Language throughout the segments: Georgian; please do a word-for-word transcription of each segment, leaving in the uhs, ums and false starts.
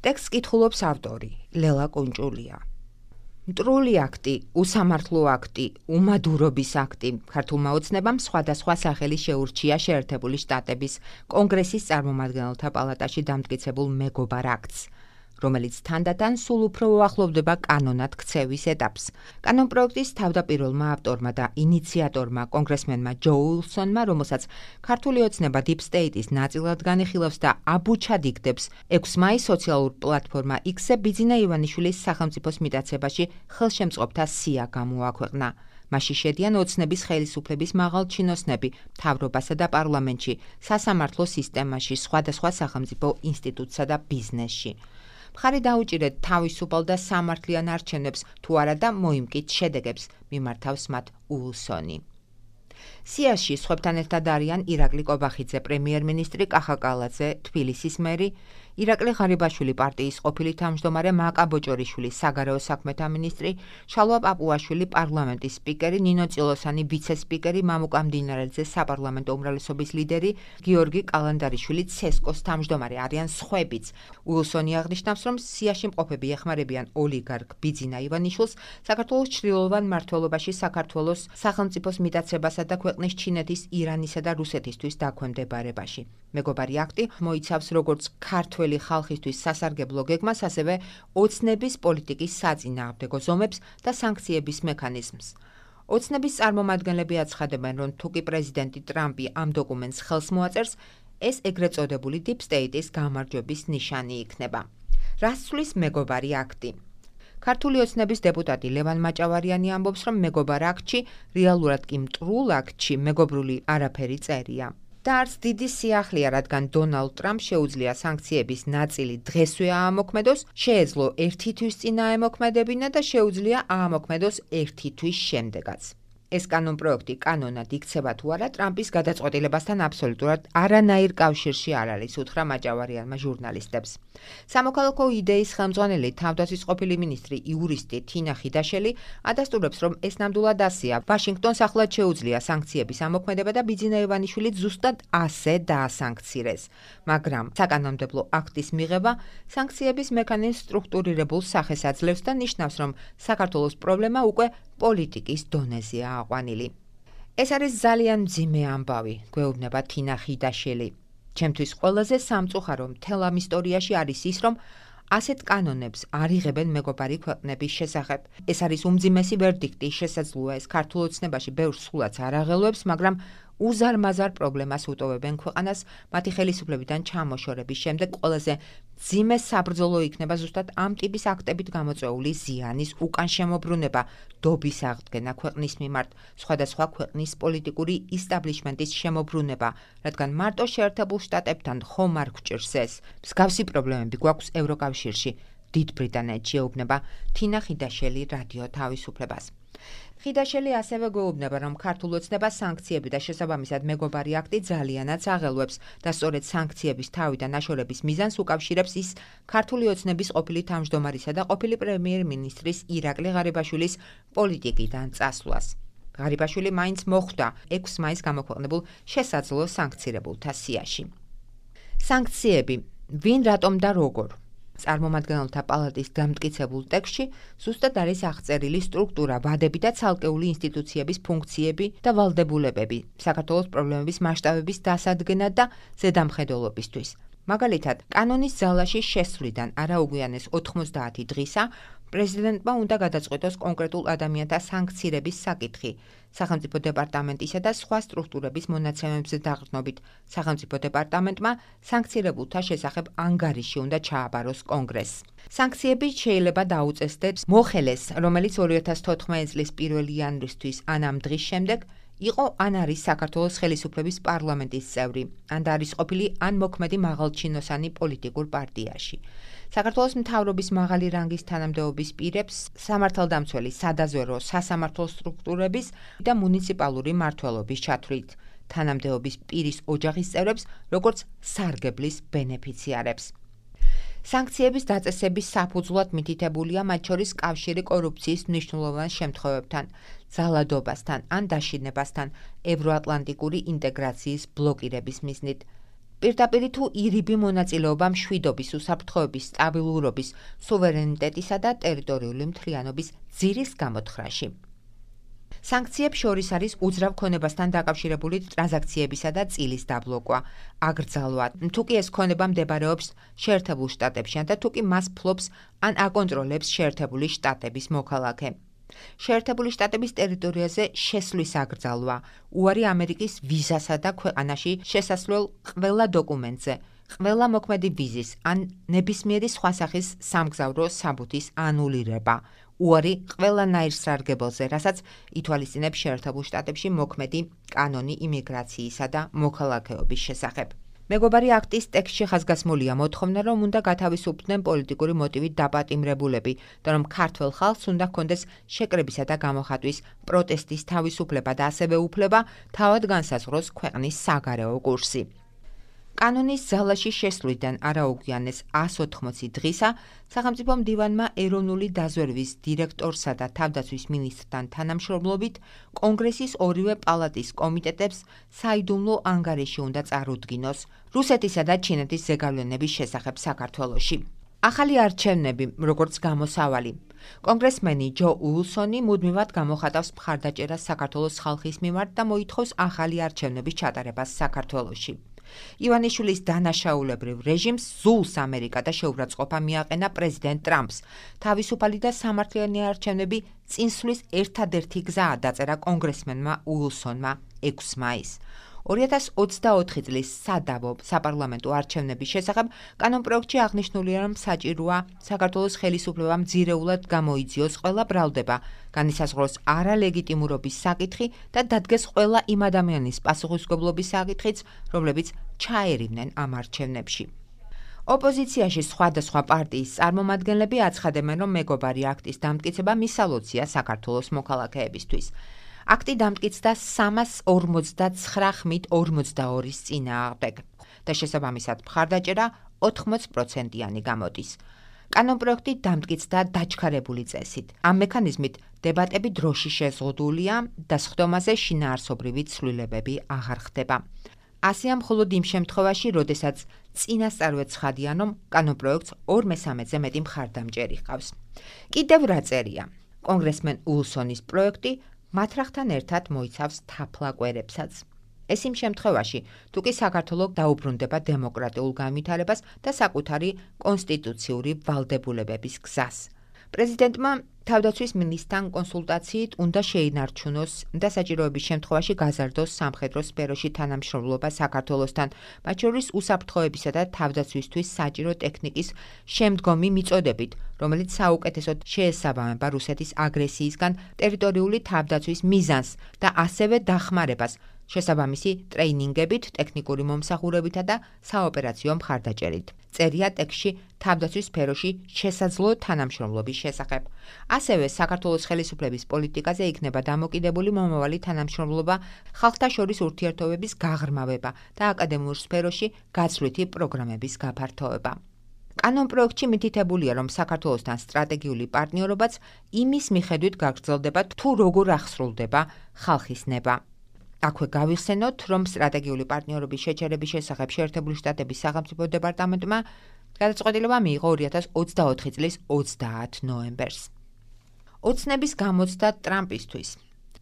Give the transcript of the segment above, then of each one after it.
ტექსტს კითხულობს ავტორი ლელა კუნჭულია. მტრული აქტი, უსამართლო აქტი, უმადურობის აქტი ქართულმა ოცნებამ სხვადასხვა სახელი შეურჩია შეერთებული შტატების კონგრესის წარმომადგენელთა პალატაში დამტკიცებულ მეგობარ აქტს, რომელიც თანდათან სულ უფრო უახლოვდება კანონად ქცევის ეტაპს. კანონპროექტის თავდაპირველმა ავტორმა და ინიციატორმა კონგრესმენმა ჯო უილსონმა, რომელსაც ქართული ოცნება Deep State-ის ნაწილად განიხილავს და აბუჩად იგდებს, ექვსი მაისს სოციალურ პლატფორმა X-ზე ბიძინა ივანიშვილის სახელმწიფოს მიტაცებაში ხელშემწყობთა სია გამოაქვეყნა. მასში შედიან ოცნების ხელისუფლების მაღალჩინოსნები მთავრობასა და პარლამენტში, სასამართლო სისტემაში, სხვადასხვა სახელმწიფო ინსტიტუტსა და ბიზნესში. მხარი დაუჭირეთ თავისუფალ და სამართლიან არჩევნებს თუ არა და მოიმკით შედეგებს, მიმართავს მათ უილსონი. სიაში სხვებთან ერთად არიან ირაკლი კობახიძე, პრემიერ-მინისტრი კახა კალაძე, თბილისის მერი, ირაკლი ღარიბაშვილი პარტიის ყოფილი თავმჯდომარე, მაკა ბოჭორიშვილი საგარეო საქმეთა მინისტრი, შალვა პაპუაშვილი პარლამენტის სპიკერი, ნინო წილოსანი ვიცე-სპიკერი, მამუკა მდინარეძე საპარლამენტო უმრავლესობის ლიდერი, გიორგი კალანდარიშვილი ცესკოს თავმჯდომარე არიან სხვებიც. უილსონი აღნიშნავს, რომ სიაში მყოფები ეხმარებიან ოლიგარქ ბიძინა ივანიშვილს საქართველოს ჩრდილოვან მმართველობაში საქართველოს სახელმწიფოს მიტაცებასა და ქვეყნის ჩინეთის, ირანისა და რუსეთისთვის დაქვემდებარებაში. მეგობარი აქტი მოიცავს როგორც ქართველი ხალხისთვის სასარგებლო გეგმას, ასევე ოცნების პოლიტიკის საწინააღმდეგო ზომებს და სანქციების მექანიზმს. ოცნების წარმომადგენლები აცხადებენ, რომ თუკი პრეზიდენტი ტრამპი ამ დოკუმენტს ხელს მოაწერს, ეს ეგრეთ წოდებული Deep State-ის გამარჯვების ნიშანი იქნება. რას ცვლის მეგობარი აქტი? ქართული ოცნების დეპუტატი ლევან მაჭავარიანი ამბობს, რომ მეგობარ აქტში, რეალურად კი მტრულ აქტში მეგობრული არაფერი წერია. და არც დიდი სიახლეა, რადგან დონალდ ტრამპს შეუძლია სანქციების ნაწილი დღესვე აამოქმედოს, შეეძლო ერთი თვის წინ აემოქმედებინა და შეუძლია აამოქმედოს ერთი თვის შემდეგაც. ეს კანონპროექტი კანონად იქცევა თუ არა, ტრამპის გადაწყვეტილებასთან აბსოლუტურად არანაირ კავშირში არ არის, უთხრა მაჭავარიანმა ჟურნალისტებს. სამოქალაქო იდეის ხელმძღვანელი, თავდაცვის ყოფილი მინისტრი, იურისტი თინა ხიდაშელი ადასტურებს, რომ ეს ნამდვილად ასეა. ვაშინგტონს ახლად შეუძლია სანქციების ამოქმედება და ბიძინა ივანიშვილი ზუსტად ასე დაასანქცირეს. მაგრამ საკანონმდებლო აქტის მიღება სანქციების მექანიზმის სტრუქტურირებულ სახეს აძლევს და ნიშნავს, რომ საქართველოს პრობლემა უკვე პოლიტიკის დონეზეა აყვანილი. ეს არის ძალიან მძიმე ამბავი, გვეუბნება თინა ხიდაშელი. ჩემთვის ყველაზე სამწუხარო მთელ ამ ისტორიაში არის ის, რომ ასეთ კანონებს არ იღებენ მეგობარი ქვეყნების შესახებ. ეს არის უმძიმესი ვერდიქტი, შესაძლოა ეს ქართულ ოცნებაში ბევრ სულაც არ აღელვებს, მაგრამ უზარმაზარ პრობლემას უტოვებენ ქვეყანას მათი ხელისუფლებიდან ჩამოშორების შემდეგ. ყველაზე მძიმე საბრძოლო იქნება ზუსტად ამ ტიპის აქტებით გამოწვეული ზიანის უკან შემოbrunება, დობის აღდგენა ქვეყნის მიმართ, სხვადასხვა ქვეყნის პოლიტიკური ისტაბლიშმენტის შემოbrunება, რადგან მარტო შეერთებულ შტატებთან ხომ არ გვჭირს ეს. მსგავსი პრობლემები გვაქვს ევროკავშირში, დიდ ბრიტანეთში, ეუბნება თინა ხიდაშელი რადიო თავისუფლებას. ხიდაშელი ასევე გვეუბნება, რომ ქართულ ოცნებას სანქციები და შესაბამისად მეგობარი აქტი ძალიანაც აღელვებს და სწორედ სანქციების თავიდან აშორების მიზანს უკავშირებს ის ქართული ოცნების ყოფილი თავმჯდომარისა და ყოფილი პრემიერ-მინისტრის ირაკლი ღარიბაშვილის პოლიტიკიდან წასვლას. ღარიბაშვილი მაინც მოხვდა ექვსი მაისს გამოქვეყნებულ შესაძლო სანქცირებულთა სიაში. სანქციები, ვინ, რატომ და როგორ? წარმომადგენელთა პალატის დამტკიცებულ ტექსტში ზუსტად არის აღწერილი სტრუქტურა, ვადები და ცალკეული ინსტიტუციების ფუნქციები და ვალდებულებები საქართველოს პრობლემების მასშტაბების დასადგენად და ზედამხედველობისთვის. მაგალითად, კანონის ძალაში შესვლიდან არაუგვიანეს ოთხმოცდაათი დღისა პრეზიდენტმა უნდა გადაწყვეტოს კონკრეტულ ადამიანთა სანქცირების საკითხი, სახელმწიფო დეპარტამენტისა და სხვა სტრუქტურების მონაცემებზე დაყრდნობით. სახელმწიფო დეპარტამენტმა სანქცირებულთა შესახებ ანგარიში უნდა ჩააბაროს კონგრესს. სანქციები შეიძლება დაუწესდეს მოხელეს, რომელიც ორი ათას თოთხმეტი წლის პირველი იანვრისთვის ან ამ დღის შემდეგ იყო ან არის საქართველოს ხელისუფლების პარლამენტის წევრი, ან და არის ყოფილი ან მოქმედი მაღალჩინოსანი პოლიტიკურ პარტიაში. საქართველოს მთავრობის მაღალი რანგის თანამდებობის პირებს, სამართალდამცველი, სადაზვერვო, სასამართლო სტრუქტურების და მუნიციპალური მმართველობის ჩათვლით, თანამდებობის პირის ოჯახის წევრებს, როგორც სარგებლის ბენეფიციარებს. სანქციების დაწესების საფუძვლად მითითებულია მათ შორის კავშირი კორუფციის მნიშვნელოვან შემთხვევებთან, ძალადობასთან ან დაშინებასთან, ევროატლანტიკური ინტეგრაციის ბლოკირების მიზნით. პირდაპირ თუ ირიბი მონაწილეობა მშვიდობის, უსაფრთხოების, სტაბილურობის, სუვერენიტეტისა და ტერიტორიული მთლიანობის ძირის გამოთხრაში. სანქციებს შორის არის უძრავ ქონებასთან დაკავშირებული ტრანზაქციებისა და წილის დაბლოკვა, აკრძალვა, თუ კი ეს ქონება მდებარეობს შეერთებულ შტატებში და თუ კი მას ფლობს ან აკონტროლებს შეერთებული შტატების მოქალაქე. შეერთებული შტატების ტერიტორიაზე შესვლის აკრძალვა, უარი ამერიკის ვიზასა და ქვეყანაში შესასვლელ ყველა დოკუმენტზე, ყველა მოქმედი ვიზის ან ნებისმიერი სხვა სახის სამგზავრო საბუთის ანულირება, უარი ყველანაირ სარგებელზე, რასაც ითვალისწინებს შეერთებულ შტატებში მოქმედი კანონი იმიგრაციისა და მოქალაქეობის შესახებ. მეგობარი აქტის ტექსტში ხაზგასმულია მოთხოვნა, რომ უნდა გათავისუფლდნენ პოლიტიკური მოტივით დაპატიმრებულები და რომ ქართველ ხალხს უნდა ჰქონდეს შეკრებისა და გამოხატვის, პროტესტის თავისუფლება და ასევე უფლება თავად განსაზღვროს ქვეყნის საგარეო კურსი. კანონის ძალაში შესვლიდან არაუგვიანეს ას ოთხმოცი დღისა სახელმწიფო მდივანმა ეროვნული დაზვერვის დირექტორსა და თავდაცვის მინისტრთან თანამშრომლობით კონგრესის ორივე პალატის კომიტეტებს საიდუმლო ანგარიში უნდა წარუდგინოს რუსეთისა და ჩინეთის ზეგავლენების შესახებ საქართველოში. ახალი არჩევნები, როგორც გამოსავალი. კონგრესმენი ჯო უილსონი მუდმივად გამოხატავს მხარდაჭერას საქართველოს ხალხის მიმართ და მოითხოვს ახალი არჩევნების ჩატარებას საქართველოში. ივანიშვილის დანაშაულებრივ რეჟიმს ზულს ამერიკა და შეურაცხყოფა მიაყენა პრეზიდენტ ტრამპს. თავისუფალი და სამართლიანი არჩევნები წინსვლის ერთადერთი გზაა, დაწერა კონგრესმენმა უილსონმა ექვსი მაისს. ორი ათას ოცდაოთხი წლის სადავო საპარლამენტო არჩევნების შესახებ კანონპროექტში აღნიშნულია, რომ საჭიროა საქართველოს ხელისუფლებამ ძირეულად გამოიძიოს ყველა ბრალდება, განისაზღვროს არალეგიტიმურობის საკითხი და დადგეს ყველა იმ ადამიანის პასუხისმგებლობის საკითხიც, რომლებიც ჩაერივნენ ამ არჩევნებში. ოპოზიციაში სხვადასხვა პარტიის წარმომადგენლები აცხადებენ, რომ მეგობარი აქტის დამტკიცება მისალოცია საქართველოს მოქალაქეებისთვის. აქტი დამტკიცდა სამას ორმოცდაცხრა ხმით ორმოცდაორის წინააღმდეგ და შესაბამისად მხარდაჭერა ოთხმოც პროცენტიანი გამოდის. კანონპროექტი დამტკიცდა დაჩქარებული წესით. ამ მექანიზმით დებატები დროში შეზღუდულია და სხდომაზე შინაარსობრივი ცვლილებები აღარ ხდება. ასეა მხოლოდ იმ შემთხვევაში, როდესაც წინასწარვე ცხადია, რომ კანონპროექტს ორ მესამედზე მეტი მხარდამჭერი ჰყავს. კიდევ რა წერია? კონგრესმენ უილსონის პროექტი მათრახთან ერთად მოიცავს თაფლაკვერებსაც. ეს იმ შემთხვევაში, თუ კი საქართველო დაუბრუნდება დემოკრატიულ განვითარებას და საკუთარი კონსტიტუციური ვალდებულებების გზას. პრეზიდენტმა თავდაცვის მინისტრთან კონსულტაციით უნდა შეინარჩუნოს და საჭიროების შემთხვევაში გაზარდოს სამხედრო სფეროში თანამშრომლობა საქართველოსთან, მათ შორის უსაფრთხოებისა და თავდაცვისთვის საჭირო ტექნიკის შემდგომი მიწოდებით, რომელიც საუკეთესოდ შეესაბამება რუსეთის აგრესიისგან ტერიტორიული თავდაცვის მიზანს და ასევე დახმარებას, შესაბამისი ტრეინინგებით, ტექნიკური მომსახურებითა და საოპერაციო მხარდაჭერით. წერია ტექსტში თავდაცვის სფეროში შესაძლო თანამშრომლობის შესახებ. ასევე საქართველოს ხელისუფლების პოლიტიკაზე იქნება დამოკიდებული მომავალი თანამშრომლობა, ხალხთა შორის ურთიერთობების გაღრმავება და აკადემიურ სფეროში გაცვლითი პროგრამების გაფართოება. კანონპროექტში მითითებულია, რომ საქართველოსთან სტრატეგიული პარტნიორობაც იმის მიხედვით გაგრძელდება, თუ როგორ აღსრულდება ხალხის ნება. აქვე გავიხსენოთ, რომ სტრატეგიული პარტნიორობის შეჩერების შესახებ შეერთებული შტატების სახელმწიფო დეპარტამენტმა გადაწყვეტილება მიიღო ორი ათას ოცდაოთხი წლის ოცდაათ ნოემბერს. ოცნების გამოცდა ტრამპისთვის.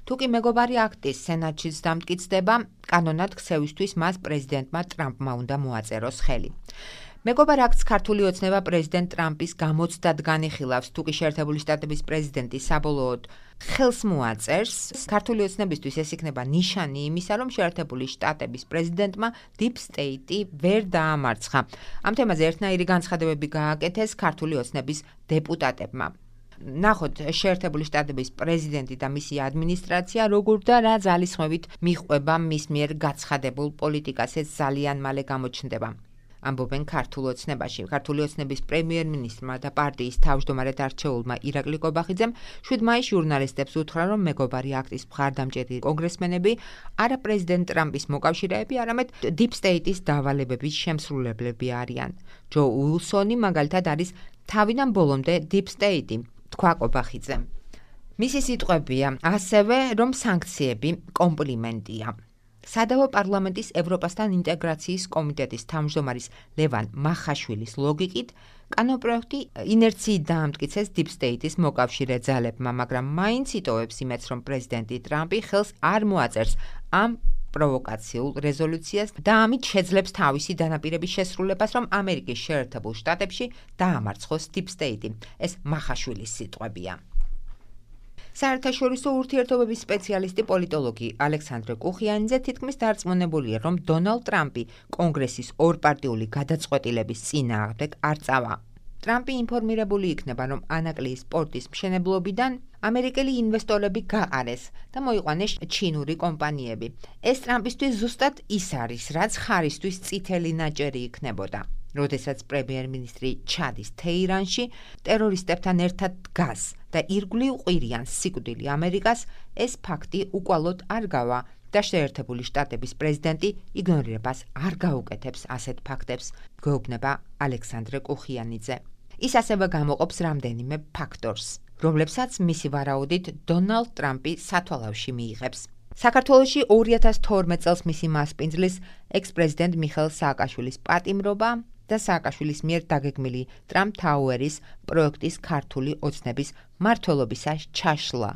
თუკი მეგობარი აქტის სენატშიც დამტკიცდება, კანონად ქცევისთვის მას პრეზიდენტმა ტრამპმა უნდა მოაწეროს ხელი. მეგობარ აქტს ქართული ოცნება პრეზიდენტ ტრამპის გამოცდად განიხილავს, თუკი შეერთებული შტატების პრეზიდენტი საბოლოოდ ხელს მოაწერს. ქართული ოცნებისთვის ეს იქნება ნიშანი იმისა, რომ შეერთებული შტატების პრეზიდენტმა დიპ სტეიტი ვერ დაამარცხა. ამ თემაზე ერთნაირი განცხადებები გააკეთეს ქართული ოცნების დეპუტატებმა. ნახოთ შეერთებული შტატების პრეზიდენტი და მისი ადმინისტრაცია როგორ და რა ძალისხმევით მიჰყვება მის მიერ გაცხადებულ პოლიტიკას, ეს ძალიან მალე გამოჩნდება. ამბობენ ქართულ ოცნებაში. ქართული ოცნების პრემიერ-მინისტრმა და პარტიის თავმჯდომარედ არჩეულმა ირაკლი კობახიძემ შვიდ მაისს ჟურნალისტებს უთხრა, რომ მეგობარი აქტის მხარდამჭერი კონგრესმენები არა პრეზიდენტ ტრამპის მოკავშირეები, არამედ დიპ სტეიტის დავალებების შემსრულებლები არიან. ჯო უილსონი მაგალითად არის თავიდან ბოლომდე დიპ სტეიტი, თქვა კობახიძემ. მისი სიტყვებია ასევე, რომ სანქციები კომპლიმენტია. სადავო პარლამენტის ევროპასთან ინტეგრაციის კომიტეტის თავმჯდომარის ლევან მახაშვილის ლოგიკით, კანონპროექტი ინერციით დაამტკიცეს Deep State-ის მოკავშირე ძალებმა, მაგრამ მაინც იტოვებს იმედს, რომ პრეზიდენტი ტრამპი ხელს არ მოაწერს ამ პროვოკაციულ რეზოლუციას და ამით შეძლებს თავისი დანაპირების შესრულებას, რომ ამერიკის შეერთებულ შტატებში დაამარცხოს Deep State-ი. ეს მახაშვილის სიტყვებია. საერთაშორისო ურთიერთობების სპეციალისტი პოლიტოლოგი ალექსანდრე კუხიანიძე თითქმის დარწმუნებულია, რომ დონალდ ტრამპი კონგრესის ორპარტიული გადაწყვეტილების წინააღმდეგ არ წავა. ტრამპი ინფორმირებული იქნება, რომ ანაკლიის პორტის მშენებლობიდან ამერიკელი ინვესტორები გაყარეს და მოიყვანეს ჩინური კომპანიები. ეს ტრამპისთვის ზუსტად ის არის, რაც ხარისთვის წითელი ნაჭერი იქნებოდა. როდესაც პრემიერ-მინისტრი ჩადის თეირანში, ტერორისტებთან ერთად დგას და ირგვლივ ყვირიან სიკვდილი ამერიკას, ეს ფაქტი უკვალოდ არ გავა და შეერთებული შტატების პრეზიდენტი იგნორირებას არ გაუკეთებს ასეთ ფაქტებს, გვეუბნება ალექსანდრე კუხიანიძე. ის ასევე გამოყოფს რამდენიმე ფაქტორს, რომლებსაც მისი ვარაუდით დონალდ ტრამპი სათვალავში მიიღებს. საქართველოში ორი ათას თორმეტ წელს მისი მასპინძლის ექს-პრეზიდენტ მიხეილ სააკაშვილის პატიმრობა და სააკაშვილის მიერ დაგეგმილი ტრამპ თაუერის პროექტის ქართული ოცნების მმართველობისას ჩაშლა.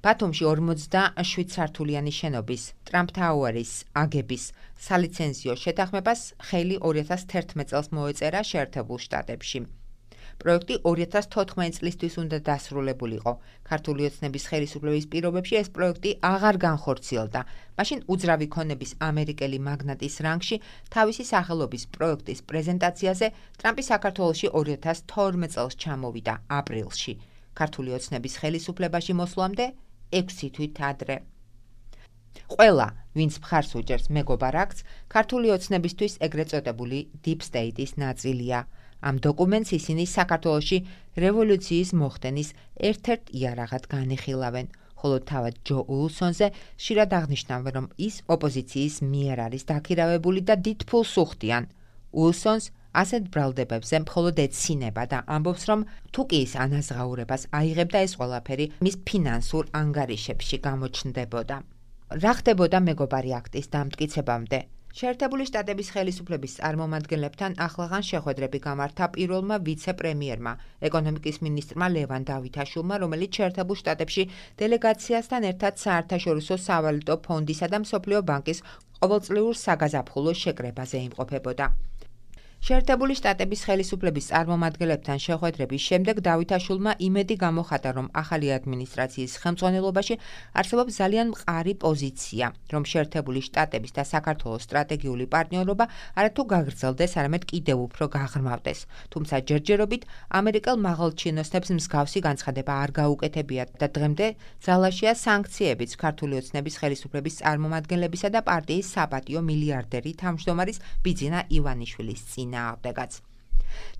ბათუმში ორმოცდაშვიდ სართულიანი შენობის ტრამპ თაუერის აგების სალიცენზიო შეთანხმებას ხელი ორი ათას თერთმეტ წელს მოეწერა შეერთებულ შტატებში. პროექტი ორი ათას თოთხმეტ წლისთვის უნდა დასრულებულიყო. ქართული ოცნების ხელისუფლების პირობებში ეს პროექტი აღარ განხორციელდა. მაშინ უძრავი ქონების ამერიკელი მაგნატის რანგში თავისი სახელობის პროექტის პრეზენტაციაზე ტრამპი საქართველოში ორი ათას თორმეტ წელს ჩამოვიდა აპრილში. ქართული ოცნების ხელისუფლებაში მოსვლამდე ექვსი თვით ადრე. ყველა, ვინც მხარს უჭერს მეგობარ აქტს, ქართული ოცნებისთვის ეგრეთ წოდებული Deep State-ის ნაწილია. ამ დოკუმენტს ისინი საქართველოში რევოლუციის მოხდენის ერთ-ერთ იარაღად განიხილავენ, ხოლო თავად ჯო უილსონზე ხშირად აღნიშნავენ, რომ ის ოპოზიციის მიერ არის დაქირავებული და დიდ ფულს უხდიან. უილსონს ასეთ ბრალდებებზე მხოლოდ ეცინება და ამბობს, რომ თუ კი ის ანაზღაურებას აიღებდა, ეს ყველაფერი მის ფინანსურ ანგარიშებში გამოჩნდებოდა. რა ხდებოდა მეგობარი აქტის დამტკიცებამდე? შეერთებული შტატების ხელისუფლების წარმომადგენლებთან ახლაღან შეხვედრები გამართა პირველმა ვიცე-პრემიერმა, ეკონომიკის მინისტრმა ლევან დავითაშვილმა, რომელიც შეერთებულ შტატებში დელეგაციასთან ერთად საერთაშორისო სავალუტო ფონდისა და მსოფლიო ბანკის ყოველწლიურ საგაზაფხულო შეკრებაზე იმყოფებოდა. შეერთებული შტატების ხელისუფლების წარმომადგენლებთან შეხვედრების შემდეგ დავითაშვილმა იმედი გამოხატა, რომ ახალი ადმინისტრაციის ხელმძღვანელობაში არსებობს ძალიან მყარი პოზიცია, რომ შეერთებული შტატების და საქართველოს სტრატეგიული პარტნიორობა არათუ გაგრძელდეს, არამედ კიდევ უფრო გაღრმავდეს. თუმცა ჯერჯერობით ამერიკელ მაღალჩინოსნებს მსგავსი განცხადება არ გაუკეთებიათ და დღემდე ძალაშია სანქციებიც ქართული ოცნების ხელისუფლების წარმომადგენლებისა და პარტიის საპატიო მილიარდერი თავმჯდომარის ბიძინა ივანიშვილის წინ.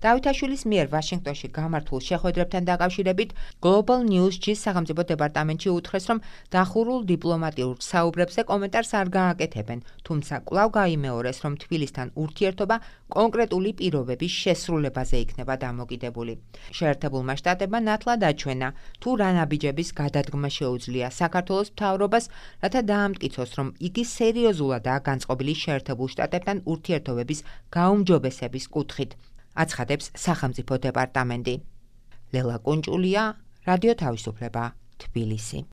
დავითაშვილის მიერ ვაშინგტონში გამართულ შეხვედრებთან დაკავშირებით Global News-ში სახელმწიფო დეპარტამენტში უთხრეს, რომ დახურულ დიპლომატიურ საუბრებზე კომენტარს არ გააკეთებენ, თუმცა კვლავ გაიმეორეს, რომ თბილისთან ურთიერთობა კონკრეტული პირობების შესრულებაზე იქნება დამოკიდებული. შეერთებულმა შტატებმა ნათლად აჩვენა, თუ რა ნაბიჯების გადადგმა შეუძლია საქართველოს მთავრობას, რათა დაამტკიცოს, რომ იგი სერიოზულადაა განწყობილი შეერთებულ შტატებთან ურთიერთობების გაუმჯობესების კუთხით. აცხადებს სახელმწიფო დეპარტამენტი. ლელა კუნჭულია, რადიო თავისუფლება, თბილისი.